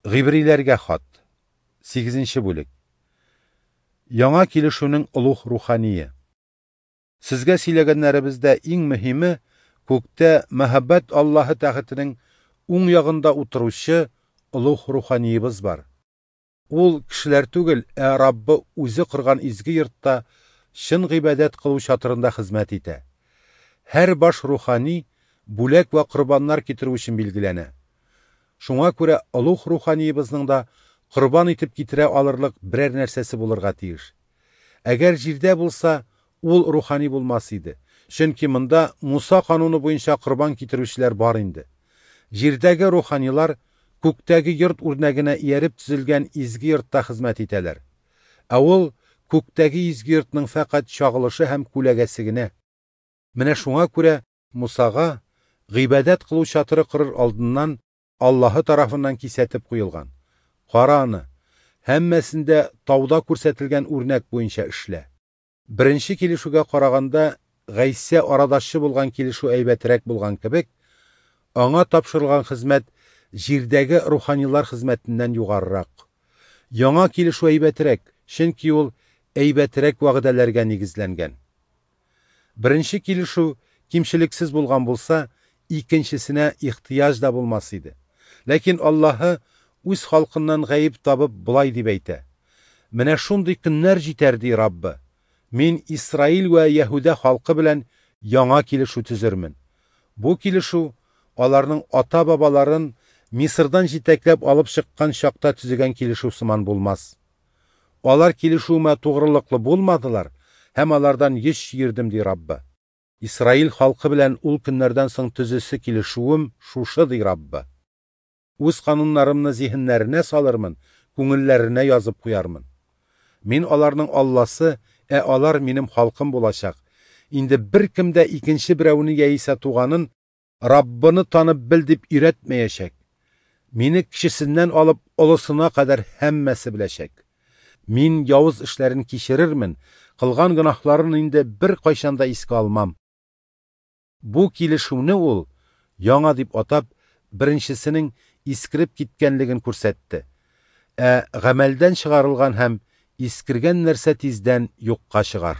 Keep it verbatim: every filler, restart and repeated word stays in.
Гыйбриләргә хат. Сигезенче бүлек. Яңа килешүнең олуг рухание. Сезгә сөйләгәннәребездә иң мөһиме күктә мәһабәт Аллаһы тәхетенең уң ягында утыручы олуг руханиебыз бар. Ул кешеләр түгел, ә Раббы үзе корган изге йортта чын гыйбадәт кылу чатырында хезмәт итә. Һәр баш рухани бүләк вә корбаннар китерү өчен билгеләнә. Шуңа күрә олуг руханиебызның да корбан итеп китерә алырлык берәр нәрсәсе булырга тиеш. Әгәр җирдә булса, ул рухани булмас иде. Чөнки монда Муса кануны буенча корбан китерүчеләр бар инде. Җирдәге руханилар күктәге йорт үрнәгенә ияреп төзелгән изге йортта хезмәт итәләр. Ә ул күктәге изге йортның фәкать чагылышы һәм күләгәсе генә. Менә шуңа күрә Мусага гыйбадәт кылу чатыры корыр алдыннан Аллаһы тарафыннан кисәтеп куелган: "Кара аны, һәммәсен дә тауда күрсәтелгән үрнәк буенча эшлә." Беренче килешүгә караганда Гайсә арадашчы булган килешү әйбәтрәк булган кебек, аңа тапшырылган хезмәт җирдәге руханилар хезмәтеннән югарырак. Яңа килешү әйбәтрәк, чөнки ул әйбәтрәк вәгъдәләргә нигезләнгән. Беренче килешү кимчелексез булган булса, икенчесенә ихтыяҗ да булмас иде. Ләкин Аллаһы үз халкыннан гаеп табып болай дип әйтә: "Менә шундый көннәр җитәр, ди Раббы. Мин Исраил вә Яһүдә халкы белән яңа килешү төзермен. Бу килешү аларның ата-бабаларын Мисырдан җитәкләп алып чыккан чакта төзегән килешү сыман булмас. Алар килешүемә тугрылыклы булмадылар, һәм алардан йөз чөердем, ди Раббы. Исраил халкы белән ул көннәрдән соң төзесе килешүем шушы, ди Раббы. Үз кануннарымны зиһеннәренә салырмын, күңелләренә язып куярмын. Мин аларның Алласы, ә алар минем халкым булачак. Инде беркем дә икенче берәүне яисә туганын Раббыны танып бел дип өйрәтмәячәк. Мине кечесеннән алып олысына кадәр һәммәсе беләчәк. Мин явыз эшләрен кичерермен, кылган гөнаһларын инде беркайчан да искә алмам." Бу килешүне ул яңа дип атап, беренчесенең искереп киткәнлеген күрсәтте. Ә гамәлдән чыгарылган һәм искергән нәрсә тиздән юкка чыгар.